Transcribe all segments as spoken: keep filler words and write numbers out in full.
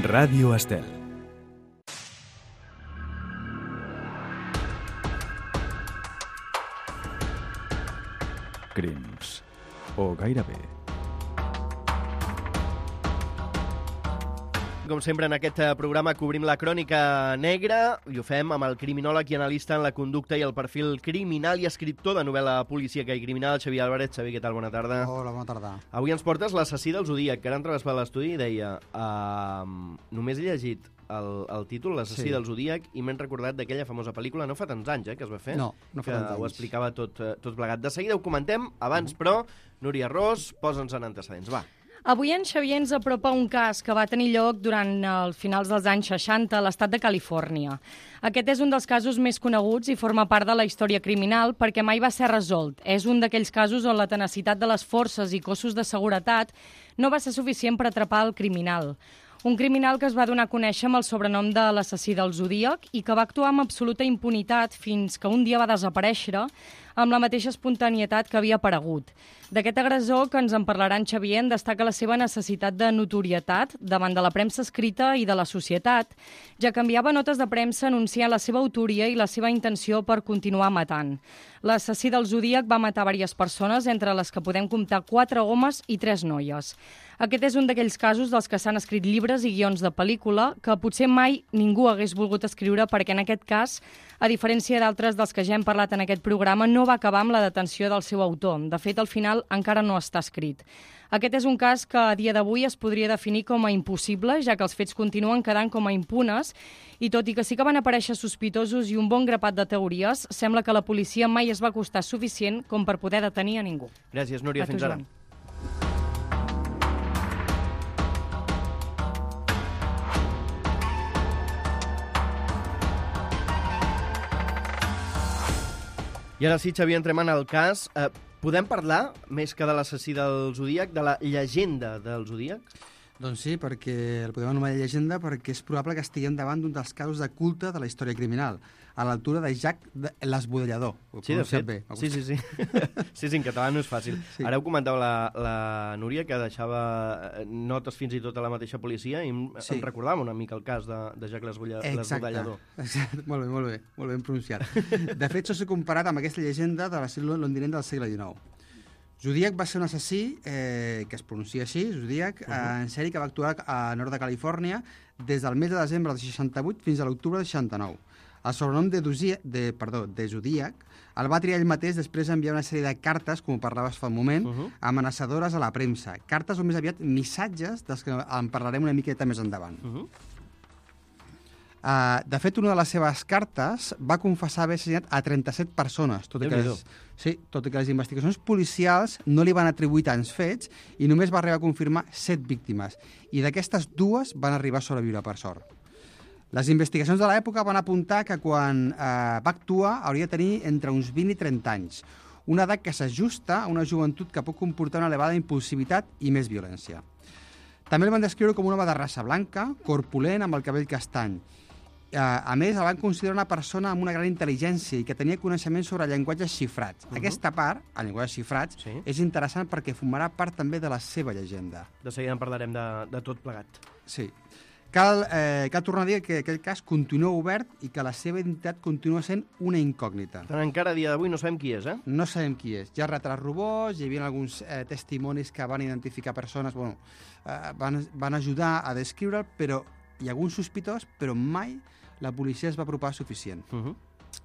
Ràdio Estel. Crims. O gairebé. Com sempre, en aquest programa cobrim la crònica negra i ho fem amb el criminòleg i analista en la conducta i el perfil criminal i escriptor de novel·la policíaca i criminal, Xavier Álvarez. Xavier, què tal? Bona tarda. Hola, bona tarda. Avui ens portes l'assassí del Zodíac, que ara entraves per l'estudi i deia uh, només he llegit el, el títol, l'assassí Sí. del Zodíac, i m'he recordat d'aquella famosa pel·lícula, no fa tants anys eh, que es va fer, No, no fa que tants ho anys. explicava tot, eh, tot plegat. De seguida ho comentem, abans, però, Núria Ros, posa'ns en antecedents, va. Avui en Xavier ens apropa un cas que va tenir lloc durant els finals dels anys seixanta a l'estat de Califòrnia. Aquest és un dels casos més coneguts i forma part de la història criminal perquè mai va ser resolt. És un d'aquells casos on la tenacitat de les forces i cossos de seguretat no va ser suficient per atrapar el criminal. Un criminal que es va donar a conèixer amb el sobrenom de l'assassí del Zodíac i que va actuar amb absoluta impunitat fins que un dia va desaparèixer amb la mateixa espontanietat que havia aparegut. D'aquest agressor que ens en parlarà en Xavier en destaca la seva necessitat de notorietat davant de la premsa escrita i de la societat, ja que enviava notes de premsa anunciant la seva autoria i la seva intenció per continuar matant. L'assassí del Zodíac va matar diverses persones, entre les que podem comptar quatre homes i tres noies. Aquest és un d'aquells casos dels que s'han escrit llibres i guions de pel·lícula que potser mai ningú hagués volgut escriure perquè en aquest cas, a diferència d'altres dels que ja hem parlat en aquest programa, no va acabar amb la detenció del seu autor. De fet, al final encara no està escrit. Aquest és un cas que a dia d'avui es podria definir com a impossible, ja que els fets continuen quedant com a impunes i tot i que sí que van aparèixer sospitosos i un bon grapat de teories, sembla que la policia mai es va costar suficient com per poder detenir a ningú. Gràcies, Núria. A tu, Fins ara. Joan. I ara sí, Xavier, entrem en el cas. Eh, podem parlar, més que de l'assassí del Zodíac, de la llegenda del Zodíac? Doncs sí, perquè el podem anomenar llegenda perquè és probable que estiguem davant d'un dels casos de culte de la història criminal, a l'altura de Jack l'Esbudellador. Sí, de fet. Sí, sí, sí. sí, sí, en català no és fàcil. Sí. Ara ho comentava la, la Núria, que deixava notes fins i tot a la mateixa policia, i em, Sí. em recordava una mica el cas de, de Jack l'Esbudellador. Exacte. Molt bé, molt bé, molt ben pronunciat. De fet, això s'ha comparat amb aquesta llegenda de la ciutat londinenca del segle dinou. Zodíac va ser un assassí, eh, que es pronuncia així, Zodíac, uh -huh. eh, en sèrie que va actuar a nord de Califòrnia des del mes de desembre del seixanta-vuit fins a l'octubre del seixanta-nou. El sobrenom de, Dusia, de, perdó, de Zodíac el va triar ell mateix després d'enviar una sèrie de cartes, com parlaves fa un moment, uh -huh. amenaçadores a la premsa. Cartes o més aviat missatges, dels que en parlarem una miqueta més endavant. Uh -huh. Uh, de fet, una de les seves cartes va confessar haver assassinat a trenta-set persones, tot i, que les, sí, tot i que les investigacions policials no li van atribuir tants fets i només va arribar a confirmar set víctimes. I d'aquestes dues van arribar a sobreviure, per sort. Les investigacions de l'època van apuntar que quan uh, va actuar hauria de tenir entre uns vint i trenta anys, una edat que s'ajusta a una joventut que pot comportar una elevada impulsivitat i més violència. També el van descriure com un home de raça blanca, corpulent, amb el cabell castany. A més, el van considerar una persona amb una gran intel·ligència i que tenia coneixements sobre llenguatges xifrats. Uh -huh. Aquesta part, el llenguatge xifrats, sí. és interessant perquè formarà part també de la seva llegenda. De seguida en parlarem de, de tot plegat. Sí. Cal, eh, cal tornar a dir que aquest cas continua obert i que la seva identitat continua sent una incògnita. Tant encara a dia d'avui no sabem qui és, eh? No sabem qui és. Hi ha retrats robots, hi havia alguns eh, testimonis que van identificar persones, bueno, eh, van, van ajudar a descriure'l, però hi ha alguns sospitós, però mai la policia es va apropar suficient. Uh -huh.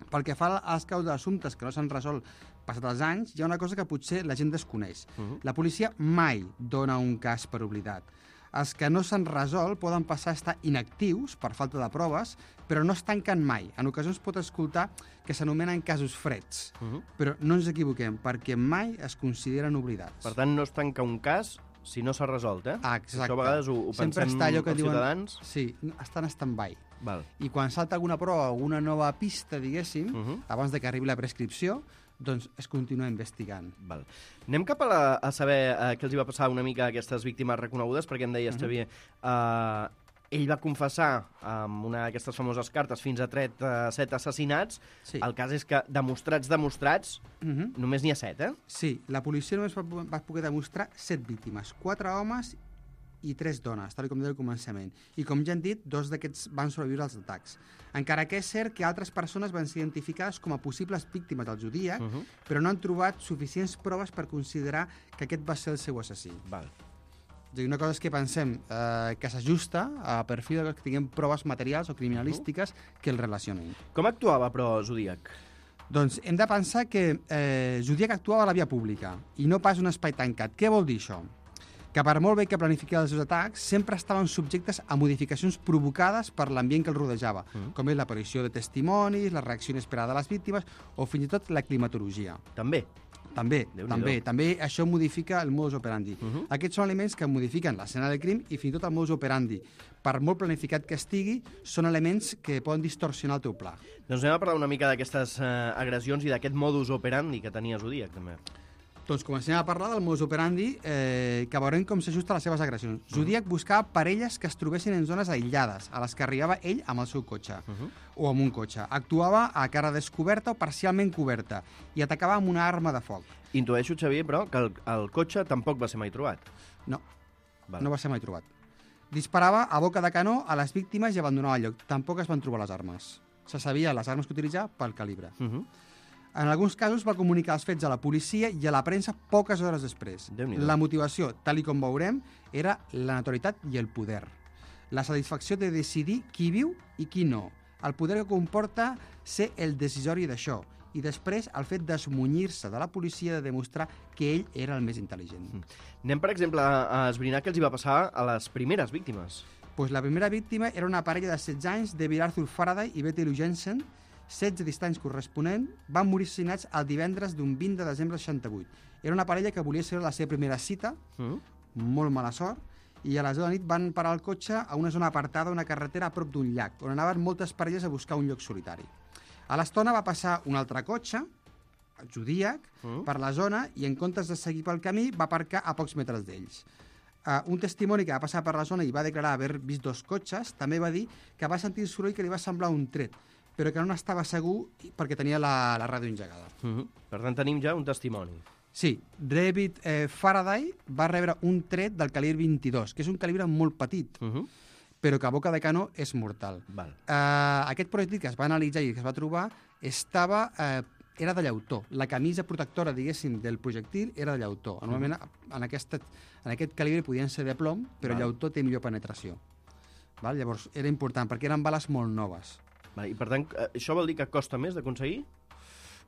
Pel que fa als casos d'assumptes que no s'han resolt passat els anys, hi ha una cosa que potser la gent desconeix. Uh -huh. La policia mai dona un cas per oblidat. Els que no s'han resolt poden passar a estar inactius per falta de proves, però no es tanquen mai. En ocasions pot escoltar que s'anomenen casos freds. Uh -huh. Però no ens equivoquem, perquè mai es consideren oblidats. Per tant, no es tanca un cas si no s'ha resolt, eh? Ah, exacte. Això a vegades ho, ho Sempre pensem està allò que els diuen, ciutadans. Sí, estan en stand-by. Val. I quan salta alguna prova o alguna nova pista, diguéssim, uh -huh. abans de que arribi la prescripció, doncs es continua investigant. Val. Anem cap a, la, a saber uh, què els hi va passar una mica a aquestes víctimes reconegudes, perquè em deies, uh -huh. Xavier, uh, ell va confessar amb una d'aquestes famoses cartes fins a trenta-set assassinats. Sí. El cas és que demostrats, demostrats, uh -huh. només n'hi ha set, eh? Sí, la policia només va, va poder demostrar set víctimes, quatre homes i tres dones, tal com deia al començament. I com ja hem dit, dos d'aquests van sobreviure als atacs. Encara que és cert que altres persones van ser identificades com a possibles víctimes del Zodíac, uh -huh. però no han trobat suficients proves per considerar que aquest va ser el seu assassí. Val. Una cosa és que pensem eh, que s'ajusta a perfil que tinguem proves materials o criminalístiques uh-huh. que el relacionin. Com actuava, però, Zodíac? Doncs hem de pensar que eh, Zodíac actuava a la via pública i no pas un espai tancat. Què vol dir això? Que per molt bé que planifiqués els seus atacs, sempre estaven subjectes a modificacions provocades per l'ambient que el rodejava, uh-huh. com és l'aparició de testimonis, la reacció inesperada de les víctimes o fins i tot la climatologia. També? També, també. També això modifica el modus operandi. Uh-huh. Aquests són elements que modifiquen l'escena del crim i fins i tot el modus operandi. Per molt planificat que estigui, són elements que poden distorsionar el teu pla. Doncs anem a parlar una mica d'aquestes eh, agressions i d'aquest modus operandi que tenia Zodíac, també. Doncs comencem a parlar del modus operandi, eh, que veurem com s'ajusta a les seves agressions. Uh-huh. Zodíac buscava parelles que es trobessin en zones aïllades, a les que arribava ell amb el seu cotxe, uh-huh. o amb un cotxe. Actuava a cara descoberta o parcialment coberta i atacava amb una arma de foc. Intueixo, Xavier, però, que el, el cotxe tampoc va ser mai trobat. No, Val. no va ser mai trobat. Disparava a boca de canó a les víctimes i abandonava el lloc. Tampoc es van trobar les armes. Se sabia les armes que utilitzava pel calibre. Uh-huh. En alguns casos va comunicar els fets a la policia i a la premsa poques hores després. La motivació, tal i com veurem, era la naturalitat i el poder. La satisfacció de decidir qui viu i qui no. El poder que comporta ser el decisori d'això. I després el fet d'esmunyir-se de la policia de demostrar que ell era el més intel·ligent. Mm. Anem, per exemple, a esbrinar què els hi va passar a les primeres víctimes. Pues la primera víctima era una parella de setze anys, David Arthur Faraday i Betty Lou Jensen, setze distanys corresponent, van morir assassinats el divendres d'un vint de desembre del seixanta-vuit. Era una parella que volia ser la seva primera cita, mm. molt mala sort, i a les deu de la nit van parar el cotxe a una zona apartada, una carretera a prop d'un llac, on anaven moltes parelles a buscar un lloc solitari. A l'estona va passar un altre cotxe, el Zodíac, mm. per la zona i en comptes de seguir pel camí va aparcar a pocs metres d'ells. Uh, un testimoni que va passar per la zona i va declarar haver vist dos cotxes també va dir que va sentir el soroll que li va semblar un tret, però que no n'estava segur perquè tenia la, la ràdio engegada. Mm-hmm. Per tant, tenim ja un testimoni. Sí, David eh, Faraday va rebre un tret del calibre vint-i-dos, que és un calibre molt petit, mm-hmm. però que a boca de canó és mortal. Val. Uh, aquest projectil que es va analitzar i que es va trobar estava, uh, era de llautó. La camisa protectora, diguéssim, del projectil era de llautó. Normalment mm-hmm. en, aquesta, en aquest calibre podien ser de plom, però Val. Llautó té millor penetració. Val? Llavors era important, perquè eren bales molt noves. Val. I per tant, això vol dir que costa més d'aconseguir?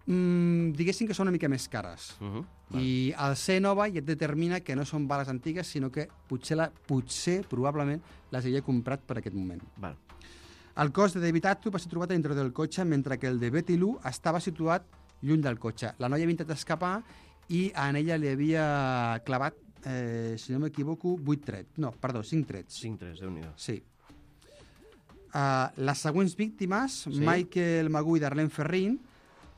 Mm, diguéssim que són una mica més cares. Uh-huh. I el ser nova ja et determina que no són bales antigues, sinó que potser, la, potser probablement, les havia comprat per aquest moment. Val. El cos de David Arthur va ser trobat a dintre del cotxe, mentre que el de Betty Lou estava situat lluny del cotxe. La noia havia intentat escapar i en ella li havia clavat, eh, si no m'equivoco, vuit trets. No, perdó, cinc trets. Cinc trets, Déu-n'hi-do. Sí. Uh, les següents víctimes, sí? Michael Magoo i Darlene Ferrin,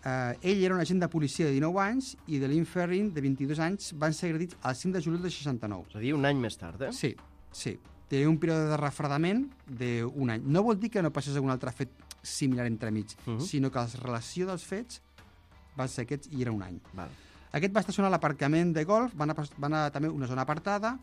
uh, ell era un agent de policia de dinou anys i de Lynn Ferrin, de vint-i-dos anys, van ser agredits el cinc de juliol de seixanta-nou. És a dir, un any més tard, eh? Sí, sí. Tenia un període de refredament d'un any. No vol dir que no passés algun altre fet similar entremig, uh-huh. sinó que la relació dels fets va ser aquests i era un any. Val. Aquest va estacionar a l'aparcament de golf, van anar, van anar també a una zona apartada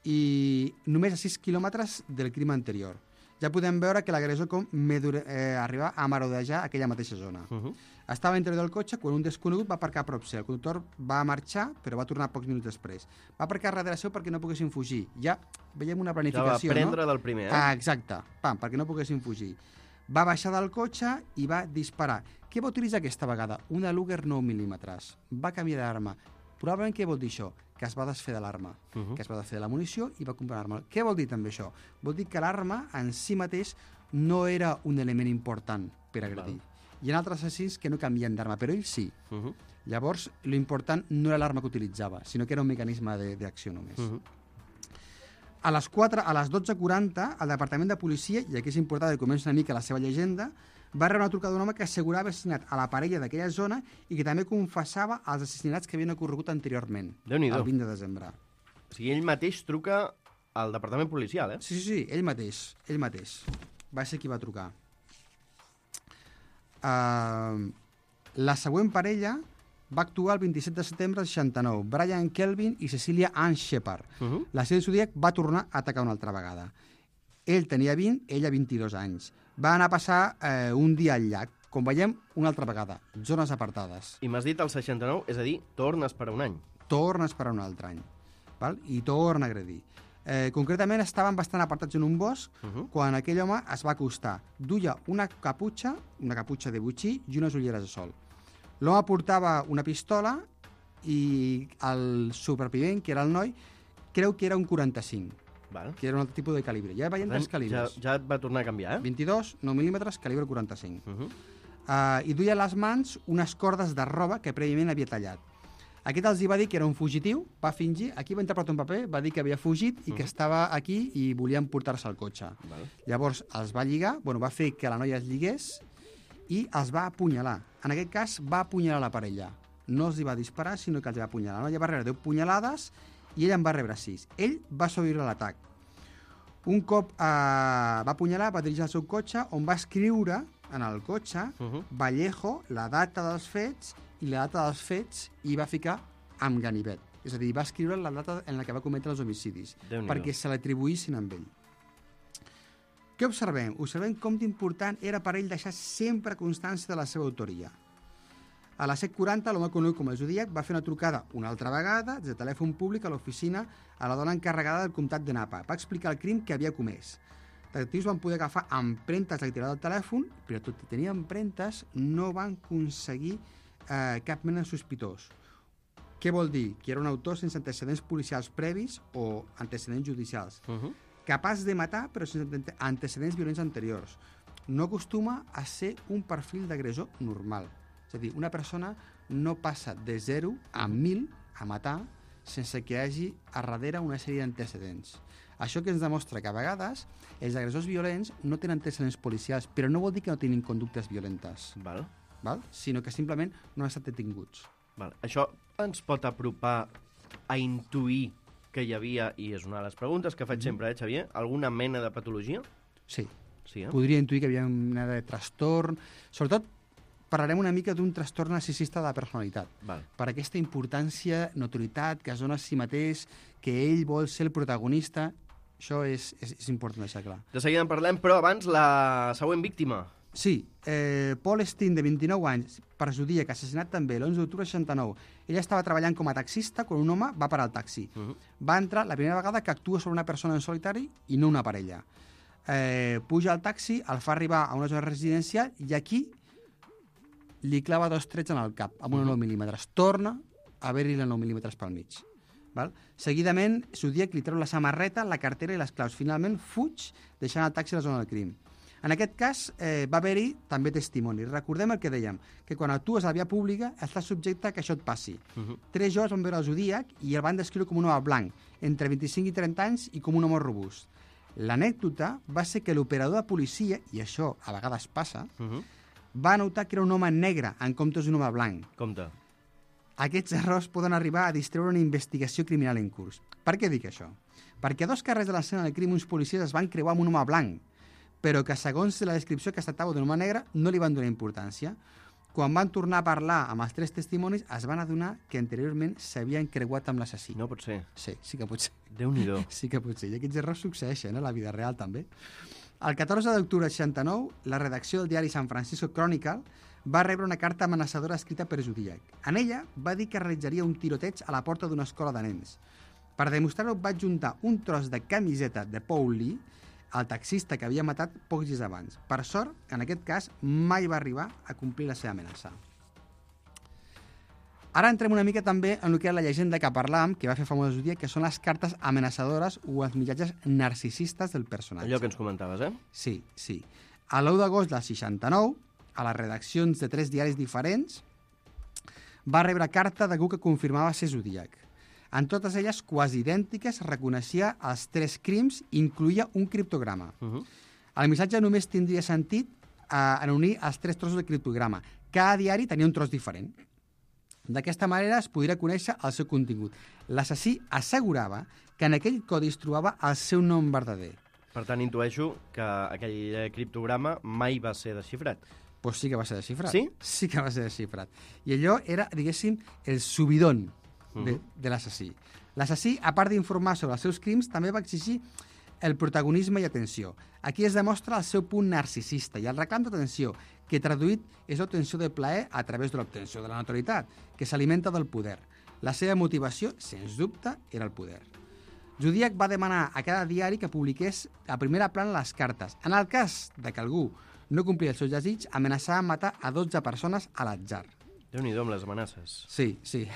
i només a sis quilòmetres del crim anterior. Ja podem veure que l'agressor com eh, arriba a marodejar aquella mateixa zona. Uh-huh. Estava a l'interior del cotxe quan un desconegut va aparcar a prop seu. El conductor va marxar, però va tornar pocs minuts després. Va aparcar darrere seu perquè no poguessin fugir. Ja veiem una planificació, ja va prendre no? del primer, eh? Ah, exacte, pam, perquè no poguessin fugir. Va baixar del cotxe i va disparar. Què va utilitzar aquesta vegada? Una Luger nou mil·límetres. Va canviar d'arma. Probablement què vol dir això? Que es va desfer de l'arma, uh-huh. que es va desfer de la munició i va comprar l'arma. Què vol dir també això? Vol dir que l'arma en si mateix no era un element important per agredir. Val. Hi ha altres assassins que no canvien d'arma, però ell sí. Uh-huh. Llavors, l'important no era l'arma que utilitzava, sinó que era un mecanisme d'acció només. Uh-huh. A les, quatre, a les dotze quaranta, el Departament de Policia, i aquí és important que comença una mica la seva llegenda, va rebre una trucada d'un home que assegurava haver assassinat a la parella d'aquella zona i que també confessava els assassinats que havien ocorregut anteriorment, el vint de desembre. O sigui, ell mateix truca al departament policial, eh? Sí, sí, sí, ell mateix, ell mateix. Va ser qui va trucar. Uh, la següent parella va actuar el vint-i-set de setembre del seixanta-nou. Brian Kelvin i Cecilia Ann Shepard. Uh -huh. La sèrie Zodiac va tornar a atacar una altra vegada. Ell tenia vint, ella vint-i-dos anys. Va anar a passar eh, un dia al llac. Com veiem, una altra vegada, zones apartades. I m'has dit el seixanta-nou, és a dir, torna a esperar un any. Torna a esperar un altre any. Val? I torna a agredir. Eh, concretament, estaven bastant apartats en un bosc uh -huh. quan aquell home es va acostar. Duia una caputxa, una caputxa de butxí i unes ulleres de sol. L'home portava una pistola i el supervivent, que era el noi, creu que era un quaranta-cinc, Val. que era un altre tipus de calibre. Ja veiem tres calibres. Ja, ja et va tornar a canviar, eh? vint-i-dos, nou mil·límetres, calibre quaranta-cinc. Uh -huh. uh, I duia a les mans unes cordes de roba que prèviament havia tallat. Aquest els hi va dir que era un fugitiu, va fingir, aquí va interpretar un paper, va dir que havia fugit i uh -huh. que estava aquí i volien portar-se al cotxe. Val. Llavors els va lligar, bueno, va fer que la noia es lligués i els va apunyalar. En aquest cas va apunyalar la parella. No els hi va disparar, sinó que els va apunyalar. La noia va rebre deu punyalades i ell en va rebre sis. Ell va sobreviure a l'atac. Un cop eh, va apunyalar, va dirigir al seu cotxe, on va escriure en el cotxe uh -huh. Vallejo, la data dels fets i la data dels fets, i va ficar amb ganivet. És a dir, va escriure la data en la que va cometre els homicidis, perquè se l'atribuïssin amb ell. Què observem? Observem com d'important era per ell deixar sempre constància de la seva autoria. A les set quaranta, l'home conegut com el Zodiac va fer una trucada una altra vegada des de telèfon públic a l'oficina a la dona encarregada del comtat de Napa. Va explicar el crim que havia comès. Els detectius van poder agafar empremtes de l'activitat del telèfon, però tot i tenir empremtes no van aconseguir eh, cap mena de sospitós. Què vol dir? Que era un autor sense antecedents policials previs o antecedents judicials. Uh -huh. Capaç de matar, però sense antecedents violents anteriors. No acostuma a ser un perfil d'agressor normal. És a dir, una persona no passa de zero a mil a matar sense que hi hagi a darrere una sèrie d'antecedents. Això que ens demostra que a vegades els agressors violents no tenen antecedents policials, però no vol dir que no tinguin conductes violentes. Val. Val? Sinó que simplement no han estat detinguts. Val. Això ens pot apropar a intuir que hi havia, i és una de les preguntes que faig sempre, eh, Xavier, alguna mena de patologia? Sí. Sí, eh? Podria intuir que hi havia una mena de trastorn. Sobretot parlarem una mica d'un trastorn narcisista de la personalitat. Val. Per aquesta importància, notorietat, que es dona a si mateix, que ell vol ser el protagonista. Això és, és, és important deixar clar. De seguida en parlem, però abans la següent víctima. Sí, eh, Paul Steen, de vint-i-nou anys, per Zodiac, assassinat també l'onze d'octubre del seixanta-nou. Ell estava treballant com a taxista quan un home va parar el taxi. Uh -huh. Va entrar la primera vegada que actua sobre una persona en solitari i no una parella. Eh, puja al taxi, el fa arribar a una zona residencial i aquí li clava dos trets en el cap, amb una nou mil·límetres. Torna a haver-hi la nou mil·límetres pel mig. Val? Seguidament, Zodiac li treu la samarreta, la cartera i les claus. Finalment, fuig, deixant el taxi a la zona del crim. En aquest cas, eh, va haver-hi també testimoni. Recordem el que dèiem, que quan actues a la via pública estàs subjecte a que això et passi. Uh -huh. Tres joves van veure el Zodiac i el van descriure com un home blanc, entre vint-i-cinc i trenta anys, i com un home robust. L'anècdota va ser que l'operador de policia, i això a vegades passa, uh -huh. va notar que era un home negre en comptes d'un home blanc. Compte. Aquests errors poden arribar a distreure una investigació criminal en curs. Per què dic això? Perquè a dos carrers de l'escena del crim uns policies es van creuar amb un home blanc, però que segons la descripció que es tractava d'un home negre no li van donar importància. Quan van tornar a parlar amb els tres testimonis es van adonar que anteriorment s'havien creuat amb l'assassí. No pot ser. Sí, sí que pot ser. Déu-n'hi-do. Sí que pot ser. I aquests errors succeeixen a la vida real també. El catorze d'octubre del seixanta-nou, la redacció del diari San Francisco Chronicle va rebre una carta amenaçadora escrita per Zodiac. En ella va dir que realitzaria un tiroteig a la porta d'una escola de nens. Per demostrar-ho va juntar un tros de camiseta de Paul Lee, el taxista que havia matat pocs dies abans. Per sort, en aquest cas, mai va arribar a complir la seva amenaça. Ara entrem una mica també en el que era la llegenda que parlàvem, que va fer famós Zodiac, que són les cartes amenaçadores o els missatges narcisistes del personatge. Allò que ens comentaves, eh? Sí, sí. A l'u d'agost del seixanta-nou, a les redaccions de tres diaris diferents, va rebre carta d'algú que confirmava ser Zodiac. En totes elles, quasi idèntiques, reconeixia els tres crims i incluïa un criptograma. Uh -huh. El missatge només tindria sentit eh, en unir els tres trossos del criptograma. Cada diari tenia un tros diferent. D'aquesta manera es podria conèixer el seu contingut. L'assassí assegurava que en aquell codi es trobava el seu nom verdader. Per tant, intueixo que aquell criptograma mai va ser desxifrat. Pues sí que va ser desxifrat. Sí? Sí que va ser desxifrat. I allò era, diguéssim, el subidón de, Mhm. de l'assassí. L'assassí, a part d'informar sobre els seus crims, també va exigir el protagonisme i atenció. Aquí es demostra el seu punt narcisista i el reclam d'atenció, que traduït és l'obtenció de plaer a través de l'obtenció de la notoritat, que s'alimenta del poder. La seva motivació, sens dubte, era el poder. Zodíac va demanar a cada diari que publiqués a primera plana les cartes. En el cas de que algú no complia el seu desig, amenaçava amb matar a dotze persones a l'atzar. Déu-n'hi-do amb les amenaces. Sí, sí.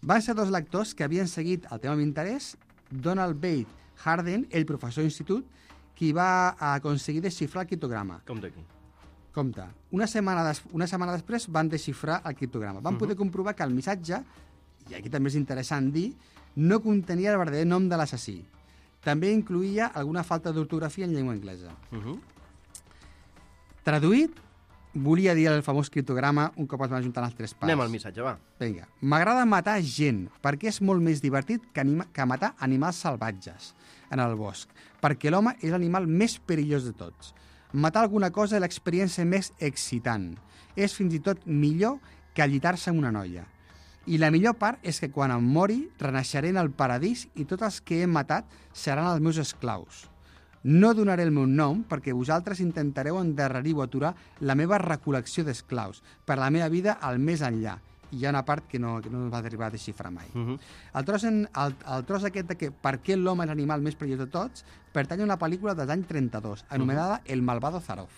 Van ser dos lectors que havien seguit el tema amb interès, Donald Bate Harden, el professor d'institut, qui va aconseguir desxifrar el criptograma. Compte aquí. Compte, una setmana, des, una setmana després van desxifrar el criptograma. Van poder comprovar que el missatge, i aquí també és interessant dir, no contenia el verdader nom de l'assassí. També incluïa alguna falta d'ortografia en llengua anglesa. Uh -huh. Traduït, volia dir el famós criptograma un cop es van ajuntar els tres parts. Anem al missatge, va. Vinga. M'agrada matar gent, perquè és molt més divertit que, anima, que matar animals salvatges en el bosc, perquè l'home és l'animal més perillós de tots. Matar alguna cosa és l'experiència més excitant. És fins i tot millor que allitar-se amb una noia. I la millor part és que quan em mori renaixeré en el paradís i tots els que he matat seran els meus esclaus. No donaré el meu nom perquè vosaltres intentareu endarrerir o aturar la meva recol·lecció d'esclaus per la meva vida al més enllà. I hi ha una part que no, que no va arribar a desxifrar mai. Uh -huh. el, tros en, el, el tros aquest de que per què l'home és l'animal més perillós de tots pertany a una pel·lícula dels anys trenta-dos, anomenada uh -huh. El malvado Zarov.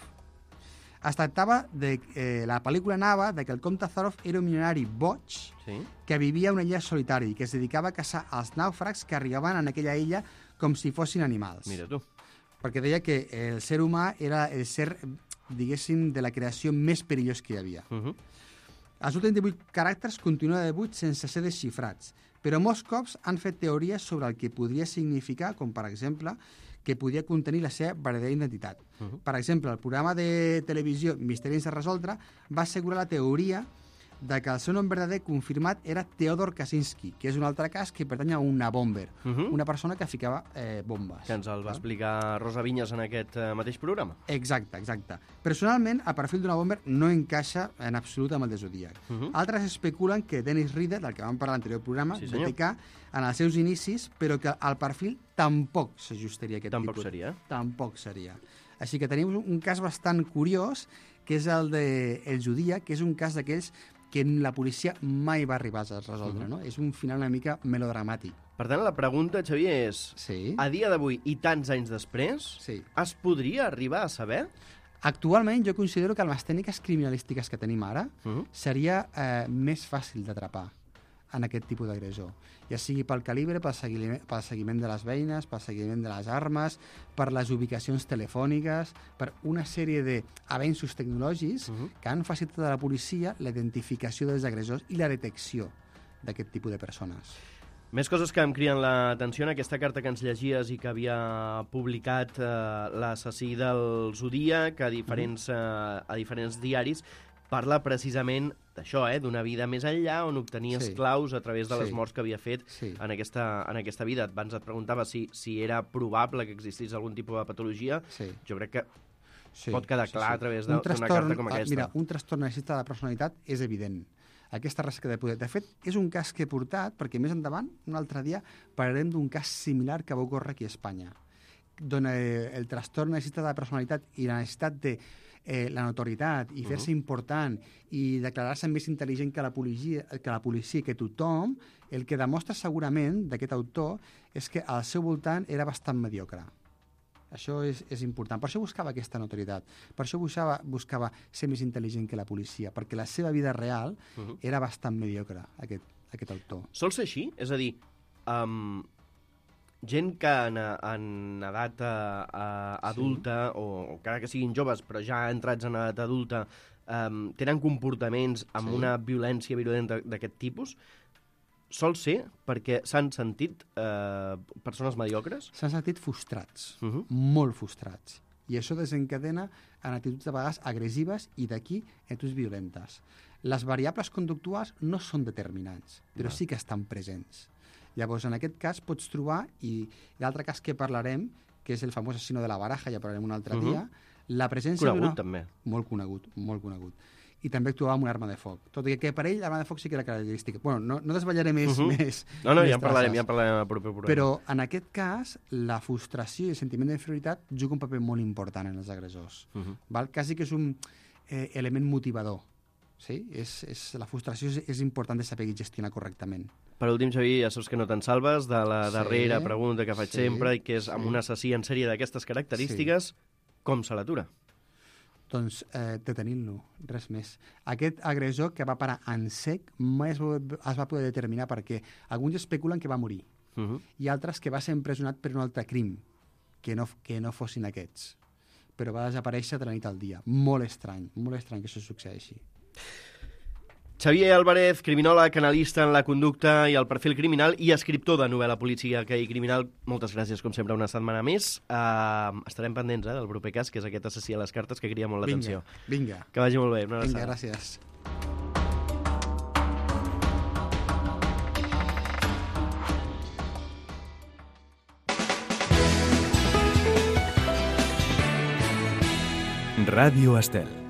Es tractava de... Eh, la pel·lícula anava de que el comte Zarov era un milionari boig Sí. que vivia a una illa solitari i que es dedicava a caçar els nàufrags que arribaven en aquella illa com si fossin animals. Mira tu. Perquè deia que el ser humà era el ser, diguéssim, de la creació més perillós que hi havia. Uh -huh. Els últims divuit caràcters continuen de divuit sense ser desxifrats, però molts cops han fet teories sobre el que podria significar, com per exemple, que podia contenir la seva verdadera identitat. Uh -huh. Per exemple, el programa de televisió Misteri sense resoldre va assegurar la teoria de que el seu nom verdader confirmat era Theodor Kaczynski, que és un altre cas que pertany a una bomber, Uh -huh. una persona que ficava eh, bombes. Que ens el va explicar Rosa Vinyes en aquest eh, mateix programa. Exacte, exacte. Personalment, el perfil d'una bomber no encaixa en absolut amb el de Zodíac. Uh -huh. Altres especulen que Dennis Reader, del que vam parlar a l'anterior programa, Sí, B senyor. T K, en els seus inicis, però que el perfil tampoc s'ajustaria a aquest Tampoc tipus. seria, eh? Tampoc seria. Així que tenim un cas bastant curiós, que és el de el Zodíac, que és un cas d'aquells que la policia mai va arribar a resoldre, Uh-huh. no? És un final una mica melodramàtic. Per tant, la pregunta, Xavier, és... Sí. A dia d'avui i tants anys després, Sí. es podria arribar a saber? Actualment jo considero que amb les tècniques criminalístiques que tenim ara Uh -huh. seria eh, més fàcil d'atrapar en aquest tipus d'agressor. Ja sigui pel calibre, pel seguiment, pel seguiment de les veïnes, pel seguiment de les armes, per les ubicacions telefòniques, per una sèrie d'avenços tecnològics Uh -huh. que han facilitat a la policia la identificació dels agressors i la detecció d'aquest tipus de persones. Més coses que em criden l'atenció en aquesta carta que ens llegies i que havia publicat eh, l'assassí del Zodíac a diferents, eh, a diferents diaris, parla precisament d'això, eh, d'una vida més enllà on obtenia Sí. esclaus a través de les Sí. morts que havia fet Sí. en, aquesta, en aquesta vida. Abans et preguntava si, si era probable que existís algun tipus de patologia. Sí. Jo crec que Sí, pot quedar clar a través de- Un d'una trastorn- carta com ah, aquesta. Mira, un trastorn narcisista de la personalitat és evident. Aquesta rasca de poder. De fet, és un cas que he portat, perquè més endavant, un altre dia, parlarem d'un cas similar que va ocórrer aquí a Espanya, d'on eh, el trastorn narcisista de la personalitat i la necessitat de eh, la notorietat i fer-se Uh-huh. important i declarar-se més intel·ligent que la policia, que la policia, que tothom, el que demostra segurament d'aquest autor és que al seu voltant era bastant mediocre. Això és, és important. Per això buscava aquesta notorietat. Per això buscava, buscava ser més intel·ligent que la policia, perquè la seva vida real Uh-huh. era bastant mediocre, aquest, aquest autor. Sol ser així? És a dir, um, gent que en, en edat uh, uh, adulta, sí. o, o encara que siguin joves, però ja entrats en edat adulta, um, tenen comportaments amb Sí. una violència virulenta d'aquest tipus, sol ser perquè s'han sentit uh, persones mediocres? S'han sentit frustrats, Uh -huh. molt frustrats. I això desencadena en actituds de vegades agressives i d'aquí actituds violentes. Les variables conductuals no són determinants, però Val. sí que estan presents. Llavors, en aquest cas pots trobar, i l'altre cas que parlarem, que és el famós assassino de la baraja, ja parlarem un altre Uh-huh. dia, La presència Conegut, d'una... també. Molt conegut, molt conegut. I també actuava amb una arma de foc. Tot i que per ell l'arma de foc sí que era característica. Bueno, no, no desvetllaré més, Uh -huh. més No, no, més ja en parlarem, traces. ja en parlarem al proper programa. Però en aquest cas, la frustració i el sentiment d'inferioritat juga un paper molt important en els agressors. Uh -huh. Val? Quasi que és un eh, element motivador. Sí? És, és, la frustració és, és important de saber gestionar correctament. Per últim, Xavi, ja saps que no te'n salves de la Sí, darrera pregunta que faig sí, sempre, i que és, amb sí. un assassí en sèrie d'aquestes característiques, com se l'atura? Doncs eh, detenint-lo, res més. Aquest agressor que va parar en sec mai es va, es va poder determinar perquè alguns especulen que va morir Uh -huh. i altres que va ser empresonat per un altre crim, que no, que no fossin aquests. Però va desaparèixer de la nit al dia. Molt estrany, molt estrany que això succeeixi. Xavier Álvarez, criminòleg, analista en la conducta i el perfil criminal i escriptor de novel·la policíaca i criminal. Moltes gràcies, com sempre, una setmana més. Uh, estarem pendents eh, del proper cas, que és aquest assassí a les cartes, que crida molt l'atenció. Vinga, vinga. Que vagi molt bé. Una Vinga, abraçada. gràcies. Radio Estel.